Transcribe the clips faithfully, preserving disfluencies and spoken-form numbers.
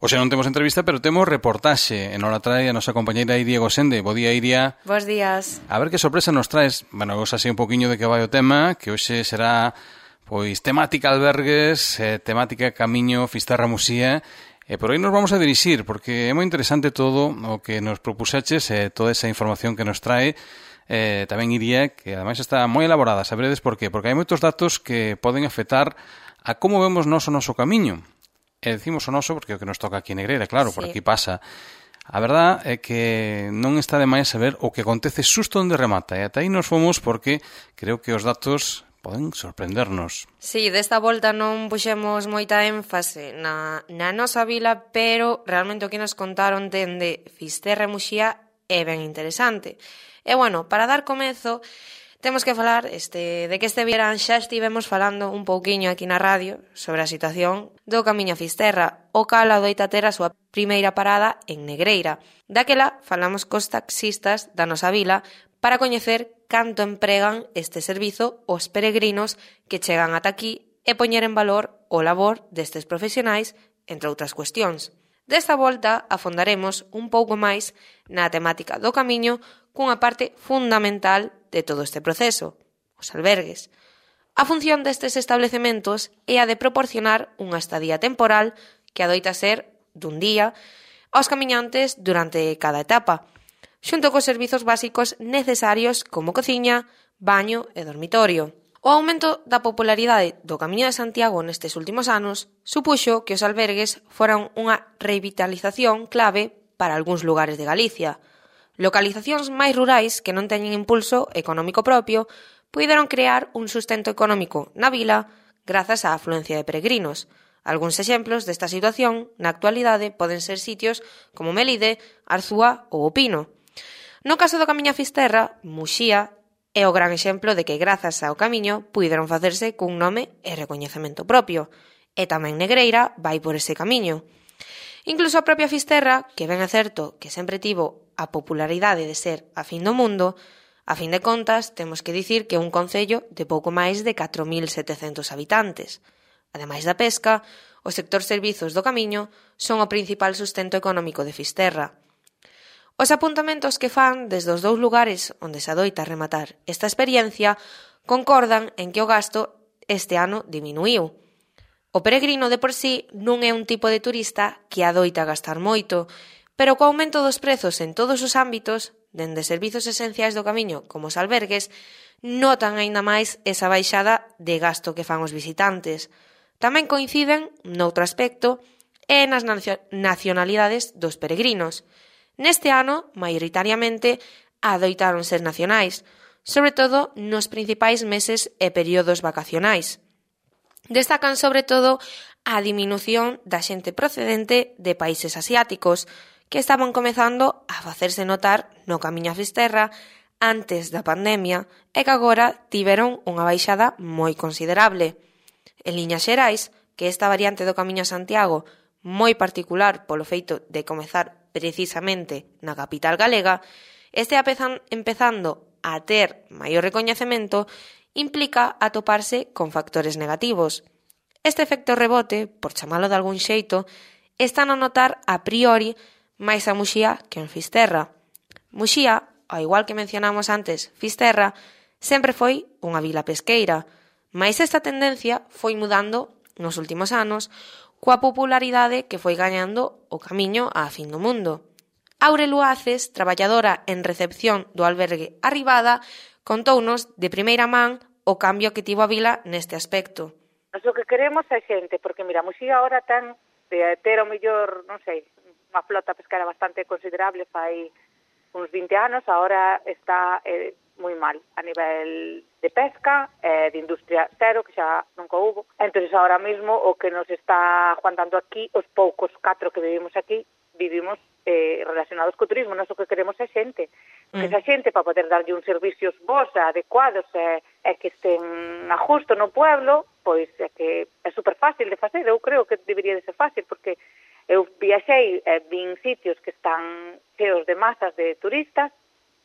Hoxe non temos entrevista, pero temos reportaxe. E nos la trae a nosa compañeira Iria Gosende. Bo día, Iria. Bos días. A ver que sorpresa nos traes. Bueno, vos así un poquinho de que vai o tema, que hoxe será pois temática albergues, eh, temática Camiño, Fisterra, Muxía. E por aí nos vamos a dirixir, porque é moi interesante todo o que nos propuseches, eh, toda esa información que nos trae. Eh, tamén Iria, que ademais está moi elaborada. Saberedes por qué? Porque hai moitos datos que poden afectar a como vemos nós o noso camiño. E decimos o noso porque é o que nos toca aquí en Negreira, claro, sí. Por aquí pasa. A verdad é que non está de máis saber o que acontece xusto onde remata. E ata aí nos fomos porque creo que os datos poden sorprendernos. Sí, desta volta non puxemos moita énfase na, na nosa vila, pero realmente o que nos contaron dende Fisterra e Muxía é ben interesante. E bueno, para dar comezo, temos que falar este, de que este verán xa estivemos falando un pouquiño aquí na radio sobre a situación do Camiño a Fisterra, o cal adoita ter a súa primeira parada en Negreira. Daquela falamos cos taxistas da nosa vila para coñecer canto empregan este servizo os peregrinos que chegan ata aquí e poñer en valor o labor destes profesionais, entre outras cuestións. Desta volta afondaremos un pouco máis na temática do camiño cunha parte fundamental de todo este proceso, os albergues. A función destes establecementos é a de proporcionar unha estadía temporal que adoita ser dun día aos camiñantes durante cada etapa, xunto cos servizos básicos necesarios como cociña, baño e dormitorio. O aumento da popularidade do Camiño de Santiago nestes últimos anos supuxo que os albergues foran unha revitalización clave para algúns lugares de Galicia. Localizacións máis rurais que non teñen impulso económico propio puideron crear un sustento económico na vila grazas á afluencia de peregrinos. Algúns exemplos desta situación na actualidade poden ser sitios como Melide, Arzúa ou O Pino. No caso do Camiño a Fisterra, Muxía é o gran exemplo de que grazas ao camiño puideron facerse cun nome e recoñecemento propio. E tamén Negreira vai por ese camiño. Incluso a propia Fisterra, que ben é certo que sempre tivo a popularidade de ser a fin do mundo, a fin de contas temos que dicir que é un concello de pouco máis de catro mil setecentos habitantes. Ademais da pesca, o sector servizos do camiño son o principal sustento económico de Fisterra. Os apuntamentos que fan desde os dous lugares onde se adoita rematar esta experiencia concordan en que o gasto este ano diminuiu. O peregrino de por sí non é un tipo de turista que adoita gastar moito, pero co aumento dos prezos en todos os ámbitos, dende servizos esenciais do camiño como os albergues, notan aínda máis esa baixada de gasto que fan os visitantes. Tamén coinciden, noutro aspecto, e nas nacionalidades dos peregrinos. Neste ano, maioritariamente, adoitaron ser nacionais, sobre todo nos principais meses e períodos vacacionais. Destacan sobre todo a diminución da xente procedente de países asiáticos, que estaban comezando a facerse notar no Camiño a Fisterra antes da pandemia e que agora tiveron unha baixada moi considerable. En liñas xerais, que esta variante do Camiño a Santiago, moi particular polo feito de comezar precisamente na capital galega, este apezan, empezando a ter maior recoñecemento, implica atoparse con factores negativos. Este efecto rebote, por chamalo de algún xeito, están a notar a priori máis a Muxía que en Fisterra. Muxía, ao igual que mencionamos antes Fisterra, sempre foi unha vila pesqueira, mais esta tendencia foi mudando nos últimos anos coa popularidade que foi gañando o camiño á fin do mundo. Aure Luaces, traballadora en recepción do albergue Arribada, contounos de primeira man o cambio que tivo a vila neste aspecto. Nos o que queremos é xente, porque mira, Muxía agora ten de ter o mellor, non sei, unha flota pesquera bastante considerable fai uns vinte anos, agora está eh, moi mal a nivel de pesca, eh, de industria cero, que xa nunca hubo. Entón, agora mesmo, o que nos está aguantando aquí, os poucos catro que vivimos aquí, vivimos eh, relacionados co turismo. Nós o que queremos é xente. Porque esa xente, para poder darlle uns servicios bons, adecuados, e, e que estén a justo no pueblo, pois é que é super fácil de facer. Eu creo que debería de ser fácil, porque eu viaxei e vin sitios que están cheos de masas de turistas,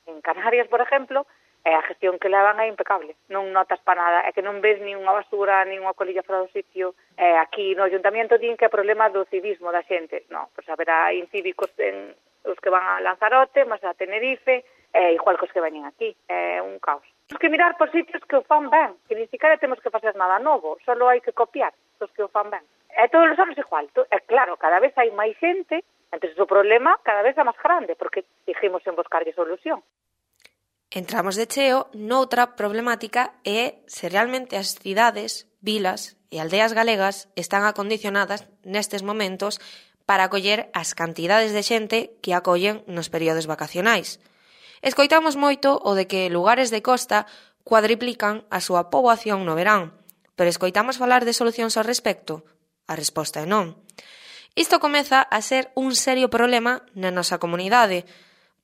en Canarias, por exemplo, E a gestión que levan é impecable, non notas para nada, é que non ves ni unha basura, ni unha colilla fora do sitio. E aquí no Ayuntamento din que é problema do civismo da xente. Non, pois haberá incívicos en os que van a Lanzarote, mas a Tenerife, é igual que os que veñen aquí, é un caos. Temos que mirar por sitios que o fan ben, que ni siquiera temos que facer nada novo, só hai que copiar os que o fan ben. E todos os anos igual, é claro, cada vez hai máis xente, entonces o problema cada vez é máis grande, porque dijimos en buscarlle solución. Entramos de cheo noutra problemática e se realmente as cidades, vilas e aldeas galegas están acondicionadas nestes momentos para acoller as cantidades de xente que acollen nos períodos vacacionais. Escoitamos moito o de que lugares de costa cuadriplican a súa poboación no verán, pero escoitamos falar de solucións ao respecto? A resposta é non. Isto comeza a ser un serio problema na nosa comunidade.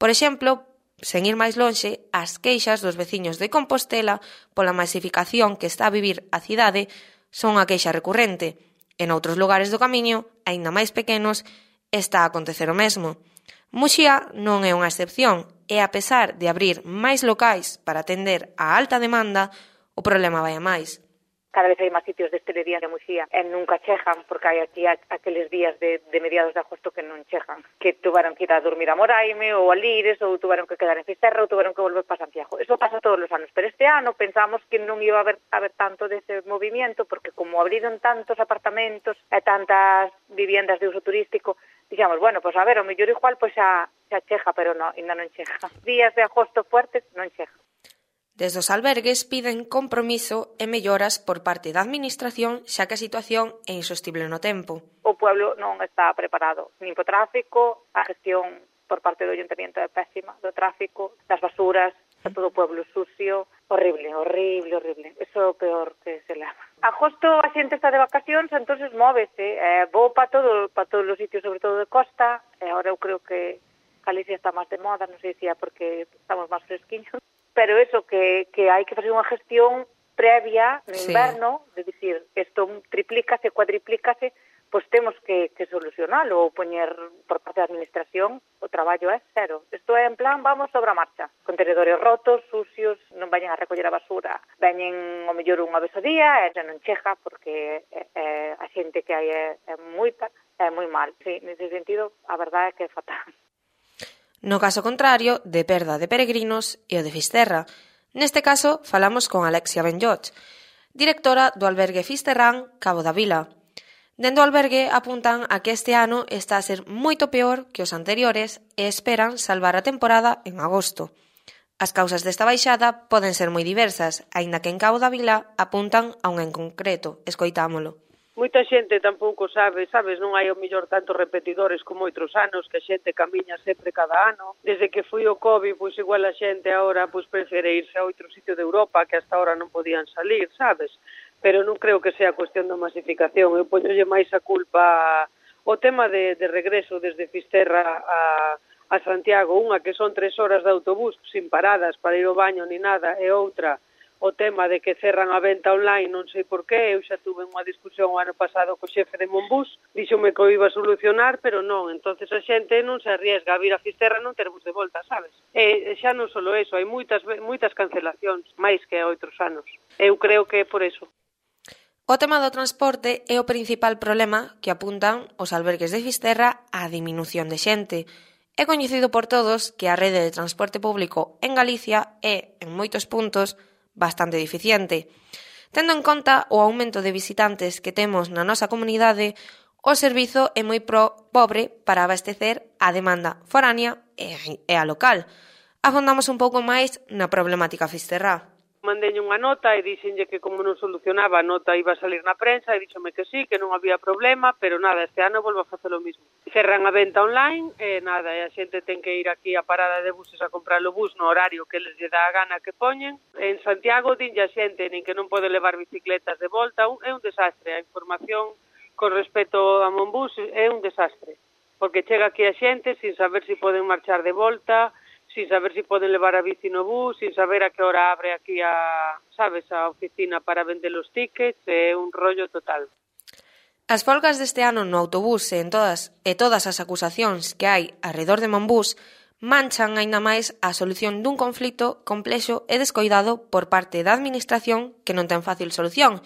Por exemplo, sen ir máis lonxe, as queixas dos veciños de Compostela pola masificación que está a vivir a cidade son a queixa recurrente. En outros lugares do camiño, aínda máis pequenos, está a acontecer o mesmo. Muxía non é unha excepción e, a pesar de abrir máis locais para atender a alta demanda, o problema vai a máis. Cada vez hai máis sitios de hostelería de Muxía e nunca chejan, porque hai aquí aqueles días de, de mediados de agosto que non chejan, que tuveron que ir a dormir a Moraime ou a Lires, ou tuveron que quedar en Fisterra, ou tuveron que volver para Santiago. Eso pasa todos os anos, pero este ano pensamos que non iba a haber, a haber tanto dese movimento, porque como abriron tantos apartamentos e tantas viviendas de uso turístico, dixamos, bueno, pois a ver, o mellor igual pois xa, xa cheja, pero non, ainda non cheja. Días de agosto fuertes non cheja. Desde os albergues piden compromiso e melloras por parte da Administración, xa que a situación é insostible no tempo. O pueblo non está preparado, nin po tráfico, a gestión por parte do Ayuntamiento é pésima, do tráfico, das basuras, está todo o pueblo sucio, horrible, horrible, horrible. Eso é o peor que se leva. Agosto a xente está de vacacións, entonces móvese, eh, vou para todo, para todos os sitios, sobre todo de costa, e agora eu creo que Galicia está máis de moda, non sei se é porque estamos máis fresquiños. Pero eso, que, que hai que facer unha gestión previa no inverno, sí. De dicir, isto triplícase, cuadriplícase, pois temos que, que solucionalo ou poñer por parte da Administración o traballo é cero. Isto é en plan, vamos sobre a marcha. Contenedores rotos, sucios, non vayan a recoller a basura, veñen o mellor unha vez ao día e xa non cheja porque é, é, a xente que hai é, é moita, é moi mal. Sí, nese sentido, a verdade é que é fatal. No caso contrario, de perda de peregrinos e o de Fisterra. Neste caso, falamos con Alexia Benlloch, directora do albergue Fisterrán Cabo da Vila. Dende o albergue apuntan a que este ano está a ser moito peor que os anteriores e esperan salvar a temporada en agosto. As causas desta baixada poden ser moi diversas, aínda que en Cabo da Vila apuntan a un en concreto. Escoitámolo. Moita xente tampouco sabe, sabes, non hai o mellor tantos repetidores como outros anos, que a xente camiña sempre cada ano. Desde que foi o COVID, pois igual a xente agora pois prefere irse a outro sitio de Europa que hasta ahora non podían salir, sabes? Pero non creo que sea cuestión da masificación. Eu poñolle máis a culpa o tema de, de regreso desde Fisterra a, a Santiago, unha que son tres horas de autobús sin paradas para ir ao baño ni nada, e outra o tema de que cerran a venta online, non sei por qué. Eu xa tuve unha discusión o ano pasado co xefe de Monbús, díxome que o iba a solucionar, pero non, entonces a xente non se arriesga a vir a Fisterra non termos de volta, sabes? E xa non só eso, hai moitas, moitas cancelacións, máis que a outros anos. Eu creo que é por eso. O tema do transporte é o principal problema que apuntan os albergues de Fisterra á diminución de xente. É coñecido por todos que a rede de transporte público en Galicia é, en moitos puntos, bastante deficiente. Tendo en conta o aumento de visitantes que temos na nosa comunidade, o servizo é moi pro pobre para abastecer a demanda foránea e a local. Afondamos un pouco máis na problemática fisterrá. Mandei unha nota e dixenlle que como non solucionaba a nota iba a salir na prensa e díxome que sí, que non había problema, pero nada, este ano volvo a facer o mismo. Cerran a venta online e nada, e a xente ten que ir aquí a parada de buses a comprar o bus no horario que les lle dá a gana que poñen. En Santiago dinlle a xente nin que non pode levar bicicletas de volta, é un desastre. A información con respecto a Monbús é un desastre, porque chega aquí a xente sin saber se si poden marchar de volta, sin saber se si poden levar a bici no bus, sin saber a que hora abre aquí a, sabes, a oficina para vender os tickets, é un rollo total. As folgas deste ano no autobús e en todas e todas as acusacións que hai arredor de Monbús manchan aínda máis a solución dun conflito complexo e descoidado por parte da administración que non ten fácil solución,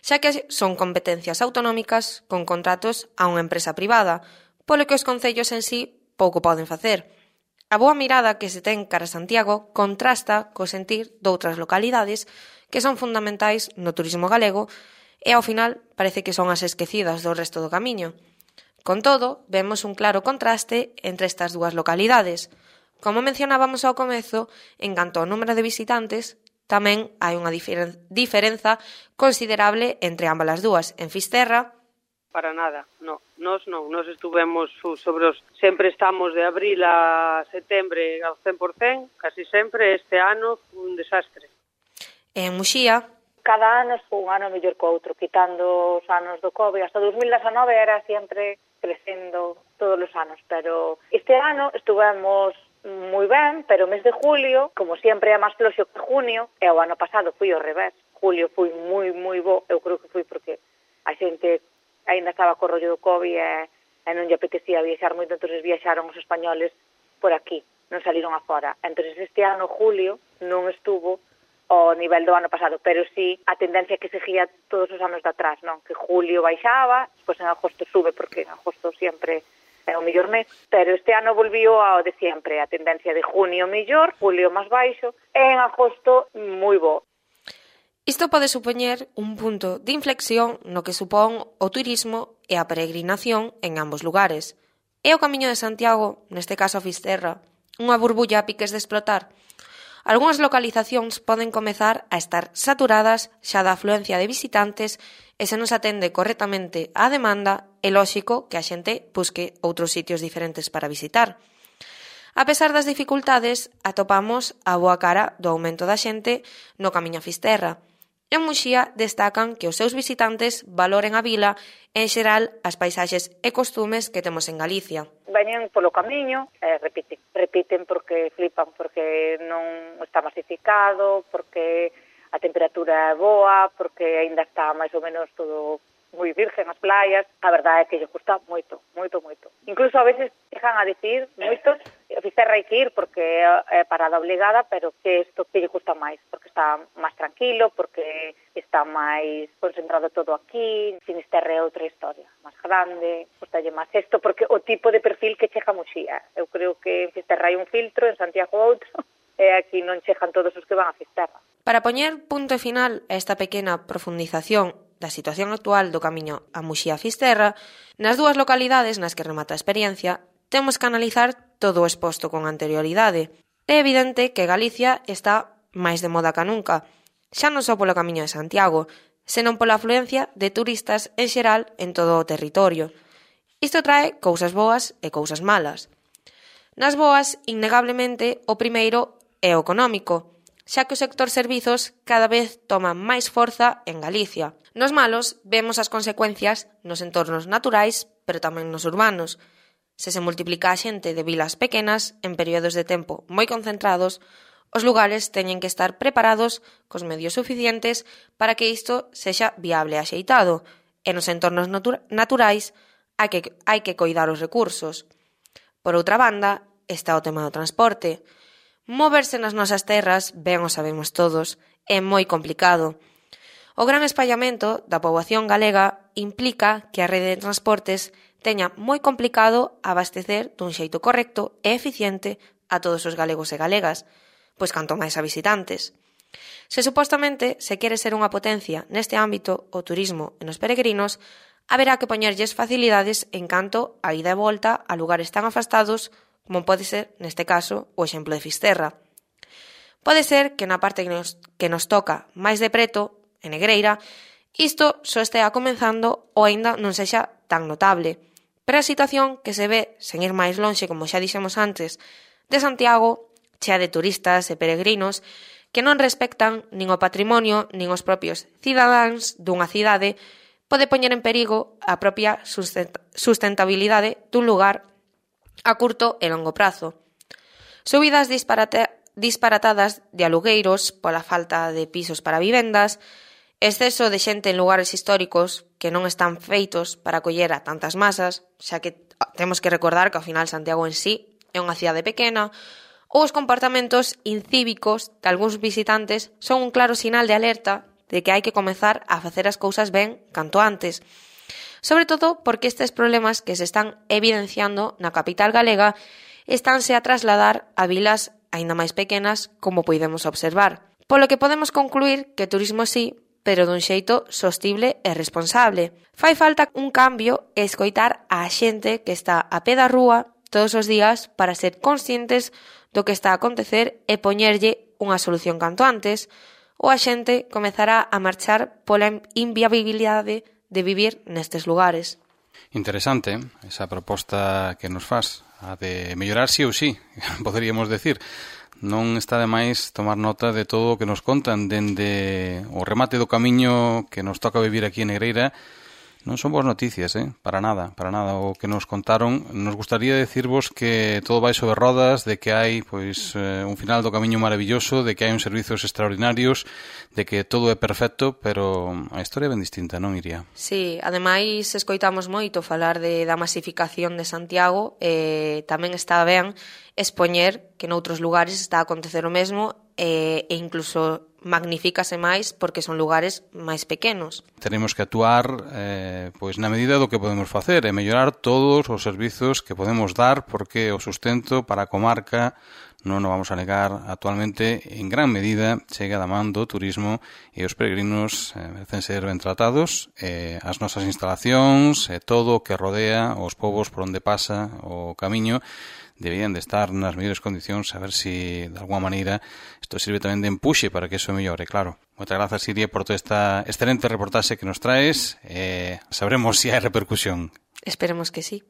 xa que son competencias autonómicas con contratos a unha empresa privada, polo que os concellos en sí pouco poden facer. A boa mirada que se ten cara a Santiago contrasta co sentir doutras localidades que son fundamentais no turismo galego e ao final parece que son as esquecidas do resto do camiño. Con todo, vemos un claro contraste entre estas dúas localidades. Como mencionábamos ao comezo, en canto ao número de visitantes, tamén hai unha diferen- diferenza considerable entre ambas as dúas. En Fisterra, Para nada, no, nos non, nos estuvemos sobre os, sempre estamos de abril a setembro ao cen por cen, casi sempre, este ano un desastre. en Muxía, Cada ano foi un ano mellor que outro, quitando os anos do COVID. Hasta dos mil dezanove era sempre crecendo todos os anos, pero este ano estuvemos moi ben, pero o mes de julio, como sempre é máis floxo que junio, e o ano pasado foi ao revés. Julio foi moi, moi bo, eu creo que foi porque a xente aínda estaba co rollo do COVID e, e non lle apetecía viaxar moito, entón viaxaron os españoles por aquí, non saliron afora. Entón este ano, julio, non estuvo ao nivel do ano pasado, pero sí a tendencia que seguía todos os anos de atrás, non? Que julio baixaba, pois en agosto sube, porque en agosto sempre é o mellor mes, pero este ano volviu ao de sempre, a tendencia de junio mellor, julio máis baixo, e en agosto moi bo. isto pode supoñer un punto de inflexión no que supón o turismo e a peregrinación en ambos lugares. É o Camiño de Santiago, neste caso a Fisterra, unha burbulla a piques de explotar. Algúnas localizacións poden comezar a estar saturadas xa da afluencia de visitantes e se non se atende correctamente á demanda, é lóxico que a xente busque outros sitios diferentes para visitar. A pesar das dificultades, atopamos a boa cara do aumento da xente no Camiño a Fisterra. En Muxía destacan que os seus visitantes valoren a vila e, en xeral, as paisaxes e costumes que temos en Galicia. Veñen polo camiño e repiten. Repiten porque flipan, porque non está masificado, porque a temperatura é boa, porque aínda está máis ou menos todo moi virgen as playas. A verdade é que lle gusta moito, moito, moito. Incluso a veces dejan a dicir moitos, a Fisterra hai que ir porque é parada obligada, pero que isto que lle gusta máis, porque está máis tranquilo, porque está máis concentrado todo aquí. Finisterre é outra historia, máis grande, gustalle máis isto, porque o tipo de perfil que chega a Muxía. Eu creo que en Fisterra hai un filtro, en Santiago outro, e aquí non chegan todos os que van a Fisterra. Para poñer punto final a esta pequena profundización da situación actual do Camiño a Muxía-Fisterra, nas dúas localidades nas que remata a experiencia, temos que analizar todo o exposto con anterioridade. É evidente que Galicia está máis de moda ca nunca, xa non só polo Camiño de Santiago, senón pola afluencia de turistas en xeral en todo o territorio. Isto trae cousas boas e cousas malas. Nas boas, innegablemente, o primeiro é o económico, xa que o sector servizos cada vez toma máis forza en Galicia. Nos malos, vemos as consecuencias nos entornos naturais, pero tamén nos urbanos. Se se multiplica a xente de vilas pequenas en períodos de tempo moi concentrados, os lugares teñen que estar preparados cos medios suficientes para que isto sexa viable e axeitado, e nos entornos natura- naturais hai que, hai que coidar os recursos. Por outra banda, está o tema do transporte. Moverse nas nosas terras, ben o sabemos todos, é moi complicado. O gran espallamento da poboación galega implica que a rede de transportes teña moi complicado abastecer dun xeito correcto e eficiente a todos os galegos e galegas, pois canto máis a visitantes. Se supostamente se quere ser unha potencia neste ámbito, o turismo e nos peregrinos, haberá que poñerlles facilidades en canto a ida e volta a lugares tan afastados como pode ser, neste caso, o exemplo de Fisterra. Pode ser que na parte que nos, que nos toca máis de preto, en Negreira, isto só estea comenzando ou aínda non sexa tan notable. Pero a situación que se ve, sen ir máis lonxe, como xa dixemos antes, de Santiago, chea de turistas e peregrinos, que non respectan nin o patrimonio nin os propios cidadáns dunha cidade, pode poñer en perigo a propia sustentabilidade dun lugar a curto e longo prazo. Subidas disparate, disparatadas de alugueiros pola falta de pisos para vivendas, exceso de xente en lugares históricos que non están feitos para acoller a tantas masas, xa que temos que recordar que ao final Santiago en sí é unha cidade pequena, ou os comportamentos incívicos de algúns visitantes son un claro sinal de alerta de que hai que comezar a facer as cousas ben canto antes. Sobre todo porque estes problemas que se están evidenciando na capital galega estánse a trasladar a vilas aínda máis pequenas, como podemos observar. Polo que podemos concluir que turismo sí, pero dun xeito sostible e responsable. Fai falta un cambio e escoitar a xente que está a pé da rúa todos os días para ser conscientes do que está a acontecer e poñerlle unha solución canto antes, ou a xente comezará a marchar pola inviabilidade de vivir nestes lugares. Interesante esa proposta que nos faz, a de mellorar sí ou sí, poderíamos decir. Non está de máis tomar nota de todo o que nos contan dende o remate do camiño que nos toca vivir aquí en Negreira. Non son boas noticias, eh? Para nada, para nada. O que nos contaron, nos gustaría decirvos que todo vai sobre rodas, de que hai pois eh, un final do camiño maravilloso, de que hai uns servizos extraordinarios, de que todo é perfecto, pero a historia é ben distinta, non, Iria? Sí, ademais escoitamos moito falar de, da masificación de Santiago, e tamén está ben expoñer que noutros lugares está a acontecer o mesmo e, e incluso magnifícase máis porque son lugares máis pequenos. Tenemos que actuar eh, pois na medida do que podemos facer e mellorar todos os servizos que podemos dar, porque o sustento para a comarca, non nos vamos a negar, actualmente en gran medida chega da man do turismo, e os peregrinos eh, merecen ser ben tratados, eh, as nosas instalacións e eh, todo o que rodea os povos por onde pasa o camiño deberían de estar nas mellores condicións, a ver se de alguma maneira isto sirve tamén de empuxe para que eso mellore, claro. Moitas grazas, Iria, por toda esta excelente reportaxe que nos traes, e eh, sabremos se hai repercusión. Esperemos que sí.